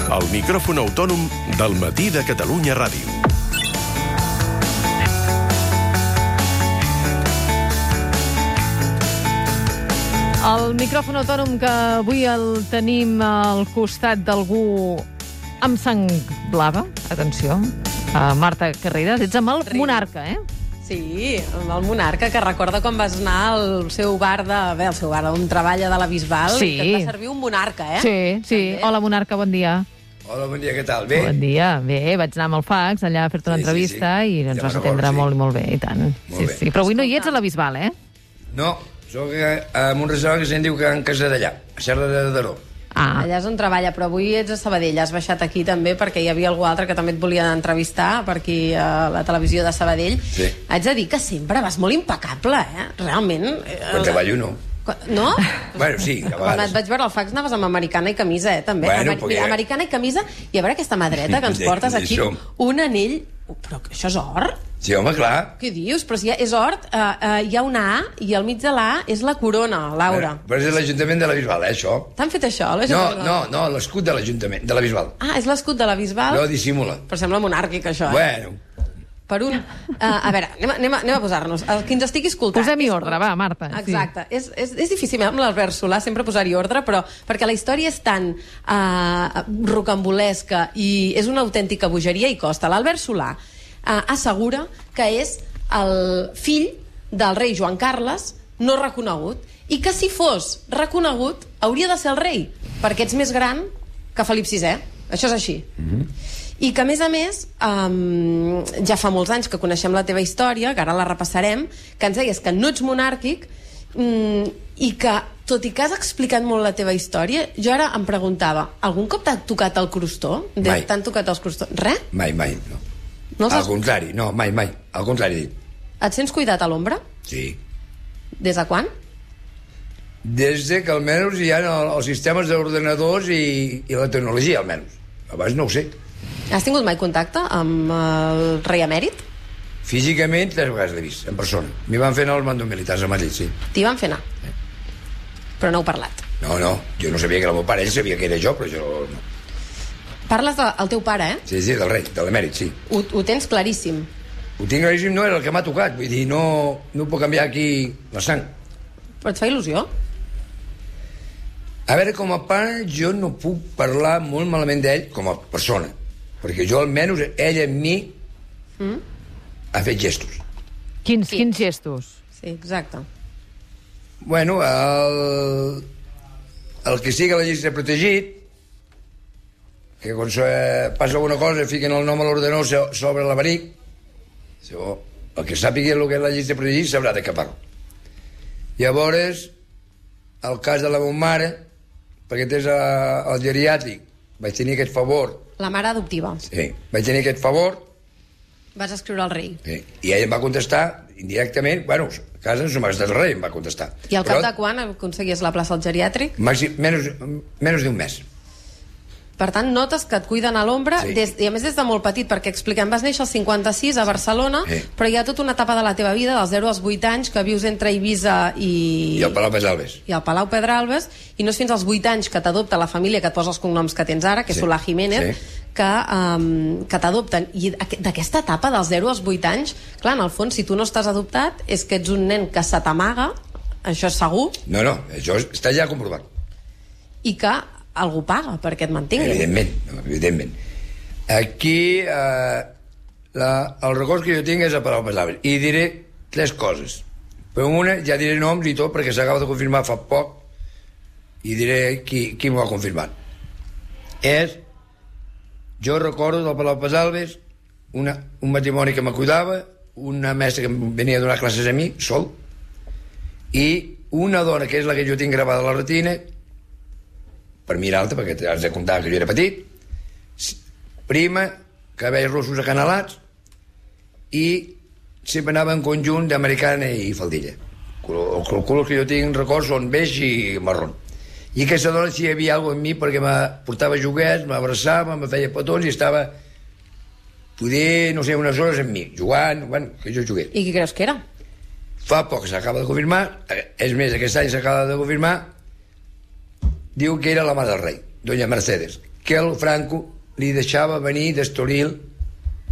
El micròfon autònom del Matí de Catalunya Ràdio. El micròfon autònom que avui el tenim al costat d'algú amb sang blava. Atenció, Marta Carreras, ets amb el Monarca, eh? Sí, el Monarca, que recorda quan vas anar al seu bar on treballa de la Bisbal, sí. I que et va servir un Monarca, eh? Sí, sí. També. Hola, Monarca, bon dia. Hola, bon dia, què tal? Bé? Bon dia. Bé, vaig anar amb el fax allà a fer-te una entrevista i ens vas atendre molt i molt bé, i tant. Molt bé. Sí. Però avui no hi ets a la Bisbal, eh? No, soc en un restaurant que se'n diu Can Casadellà, a Serra de Daró. Allà és on treballa, però avui ets a Sabadell. Has baixat aquí també perquè hi havia algú altre que també et volia entrevistar per aquí a la televisió de Sabadell. Sí. Haig de dir que sempre vas molt impecable, eh? Realment. Quan treballo, no. No? Bueno, sí, a vegades. Quan et vaig veure al fax anaves amb americana i camisa, també. Bueno, Mira, americana i camisa, i a veure aquesta mà dreta que ens portes aquí, un anell... Però això és or? Sí, home, clar. Què dius? Però si és or, hi ha una A i al mig de la A és la corona, Laura. Però és l'Ajuntament de la Bisbal, això. T'han fet això? No, l'escut de l'Ajuntament, de la Bisbal. Ah, és l'escut de la Bisbal? No dissimula. Però sembla monàrquic, això, Bueno. Per un... a veure, anem a posar-nos. El que ens estigui escoltant... Posem-hi ordre, va, Marta. Exacte. Sí. És difícil amb l'Albert Solà sempre posar-hi ordre, però perquè la història és tan rocambolesca i és una autèntica bogeria i costa. L'Albert Solà assegura que és el fill del rei Joan Carles no reconegut i que si fos reconegut hauria de ser el rei, perquè ets més gran que Felip VI. Això és així. I que, a més, ja fa molts anys que coneixem la teva història, que ara la repassarem, que ens deies que no ets monàrquic i que, tot i que has explicat molt la teva història, jo ara em preguntava, algun cop t'ha tocat el crostó? Mai. T'han tocat els crostons? Res? Mai, no. Al contrari, no, mai. Al contrari. Et sents cuidat a l'ombra? Sí. Des de quan? Des que almenys hi ha els sistemes d'ordenadors i la tecnologia, almenys. Abans no ho sé. Has tingut mai contacte amb el rei emèrit? Físicament, 3 vegades l'he vist, en persona. M'hi van fer anar als mandos militars a Madrid, sí. T'hi van fer anar? Però no heu parlat? No, jo no sabia que era el meu pare, ell sabia que era jo, però jo no. Parles del teu pare, eh? Sí, del rei, de l'emèrit, sí. Ho tens claríssim. Ho tinc claríssim, no era el que m'ha tocat, vull dir, no puc canviar aquí la sang. Però et fa il·lusió? A veure, com a pare, jo no puc parlar molt malament d'ell com a persona, perquè jo almenys, ell amb mi ha fet gestos. Quins gestos? Sí, exacte. Bueno, el que sigui la llista protegit, que quan passa alguna cosa fiquen el nom a l'ordenador sobre l'abaric, el que sàpiga el que és la llista protegit sabrà de què parlo. Llavors, el cas de la meva mare, perquè tens el geriàtric, vaig tenir aquest favor. La mare adoptiva. Sí, vaig tenir aquest favor. Vas escriure al rei. Sí, i ell em va contestar indirectament, bueno, a casa no se m'ha gastat el rei, em va contestar. I al cap de quan aconseguies la plaça al geriàtric? Menys d'un mes. Per tant, notes que et cuiden a l'ombra, sí. I a més des de molt petit, perquè expliquem, vas néixer al 56 a Barcelona, sí. Però hi ha tota una etapa de la teva vida, dels 0 als 8 anys, que vius entre Eivissa i el Palau Pedralbes. I el Palau Pedralbes, i no és fins als 8 anys que t'adopta la família que et posa els cognoms que tens ara, que és Solà Jiménez, que t'adopten. I d'aquesta etapa, dels 0 als 8 anys, clar, en el fons, si tu no estàs adoptat, és que ets un nen que se t'amaga, això és segur. No, això està ja comprovat. I que algú paga perquè et mantingui. Evidentment. Aquí el record que jo tinc és a Palau Pedralbes i diré 3 coses. Però una ja diré noms i tot perquè s'acaba de confirmar fa poc i diré qui m'ho ha confirmat. Jo recordo del Palau Pedralbes un matrimoni que me cuidava, una mestra que venia a donar classes a mi sol, i una dona que és la que jo tinc gravada a la retina, per mi era alta, perquè has de comptar que jo era petit, prima, cabells rossos acanalats, i sempre anava en conjunt d'americana i faldilla. Els colors que jo tinc records són beix i marró. I aquesta dona si hi havia alguna cosa en mi perquè me portava joguets, m'abraçava, me feia petons i estava, poder, no sé, unes hores amb mi, jugant, bueno, que jo jugués. I qui creus que era? Fa poc s'acaba de confirmar, és més, aquest any s'acaba de confirmar, diu que era la mare del rei, doña Mercedes, que el Franco li deixava venir d'Estoril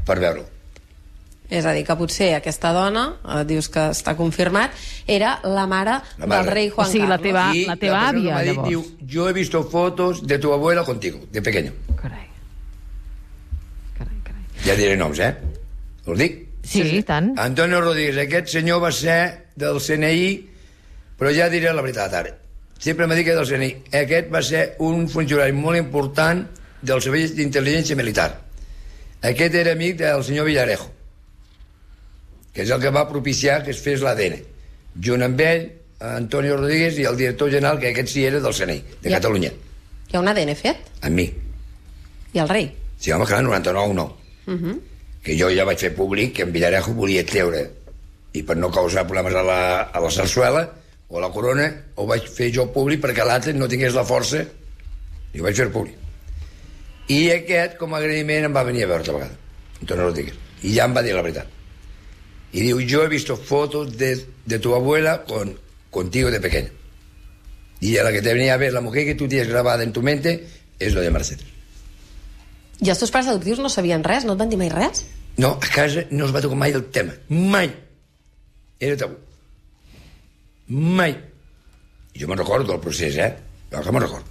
per veure-lo. És a dir, que potser aquesta dona, dius que està confirmat, era la mare del rei Juan Carlos. la teva àvia, llavors. Diu, yo he visto fotos de tu abuela contigo, de pequeño. Carai. Ja diré noms, Us dic? Sí, tant. Antonio Rodríguez, aquest senyor va ser del CNI, però ja diré la veritat ara. Sempre m'ha dit que del CNI. Aquest va ser un funcionari molt important del Servei d'Intel·ligència Militar. Aquest era amic del senyor Villarejo, que és el que va propiciar que es fes l'ADN. Junt amb ell, Antonio Rodríguez i el director general, que aquest sí era del CNI, de Catalunya. Hi ha un ADN fet? Amb mi. I el rei? Sí, home, clar, 99 no. Que jo ja vaig fer públic que en Villarejo volia treure, i per no causar problemes a la sarsuela o a la corona, ho vaig fer jo públic perquè l'altre no tingués la força, i ho vaig fer públic. I aquest, com a agraïment, em va venir a veure altra vegada, Antonio Rodríguez, i ja em va dir la veritat. Y digo, yo he visto fotos de tu abuela contigo de pequeño. Y a la que te venía a ver, la mujer que tú tienes grabada en tu mente, es lo de Mercedes. I els teus pares adoptius no sabien res? No et van dir mai res? No, a casa no es va tocar mai el tema. Mai. Era tabú. Mai. I jo me'n recordo del procés, Jo que me'n recordo.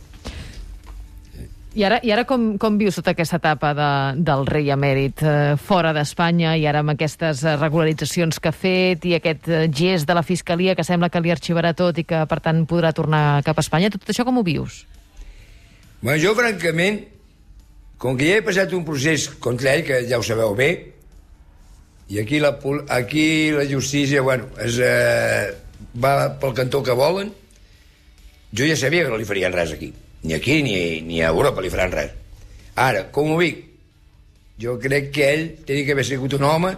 I ara com vius tota aquesta etapa del rei emèrit fora d'Espanya i ara amb aquestes regularitzacions que ha fet i aquest gest de la Fiscalia que sembla que li arxivarà tot i que, per tant, podrà tornar cap a Espanya? Tot això com ho vius? Bueno, jo, francament, com que ja he passat un procés contra ell, que ja ho sabeu bé, i aquí la justícia, bueno, va pel cantó que volen, jo ja sabia que no li farien res aquí. Ni aquí ni a Europa li faran res. Ara, com ho dic? Jo crec que ell tenia que haver sigut un home,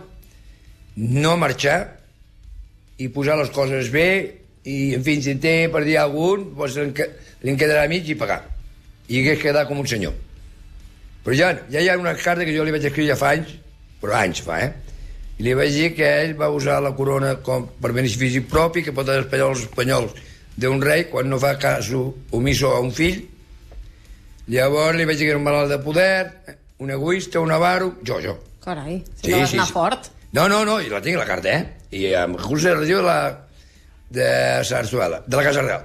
no marxar i posar les coses bé i, en fi, si té per dir algun, doncs li en quedarà mig i pagar. I hagués quedat com un senyor. Però ja hi ha una carta que jo li vaig escriure ja fa anys, però anys fa, i li vaig dir que ell va usar la corona com per benefici propi, que pot despejar els espanyols d'un rei quan no fa cas omiso a un fill. Llavors li vaig dir que era un malalt de poder, un egoista, un avaro, jo. Carai, si no vas anar fort. No, i la tinc, la carta, I amb recursos de regió de Sarsuela, de la Casa Real.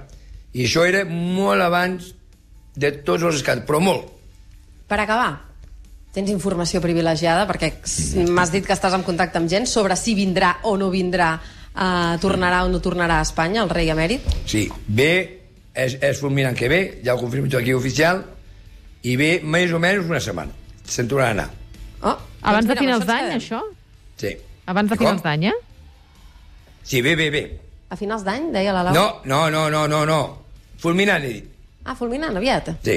I això era molt abans de tots els escàndols, però molt. Per acabar, tens informació privilegiada, perquè m'has dit que estàs en contacte amb gent sobre si vindrà o no vindrà, tornarà o no tornarà a Espanya, el rei emèrit? Sí, ve, és fulminant que ve, ja ho confirmo tot aquí oficial, i ve més o menys una setmana. Se'n tornarà a anar. Abans de finals d'any, això? Sí. Abans de finals d'any, Sí, ve. A finals d'any, deia la Laura? No. Fulminant, he dit. Fulminant, aviat? Sí.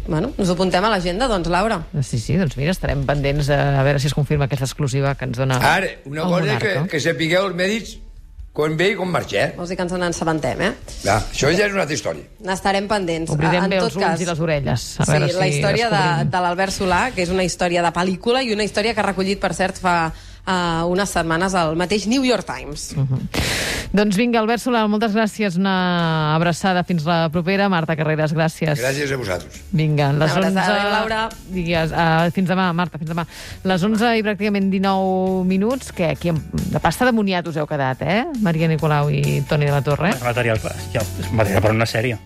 Bueno, ens ho apuntem a l'agenda, doncs, Laura. Sí, doncs mira, estarem pendents a veure si es confirma aquesta exclusiva que ens dona Ara, una cosa que sapigueu els mèdics quan ve i quan marxa, Vols dir que ens n'assabentem, Clar, això ja és una altra història. N'estarem pendents. Obrirem bé els ulls i les orelles. Sí, la història de l'Albert Solà, que és una història de pel·lícula i una història que ha recollit, per cert, fa unes setmanes al mateix New York Times. Doncs vinga, Albert Solà, moltes gràcies. Una abraçada. Fins la propera. Marta Carreras, gràcies. Gràcies a vosaltres. Vinga, les 11... Laura. Digues, fins demà, Marta, fins demà. Les 11 i pràcticament 19 minuts, que aquí de pasta de moniat us heu quedat, Maria Nicolau i Toni de la Torre. Material per una sèrie.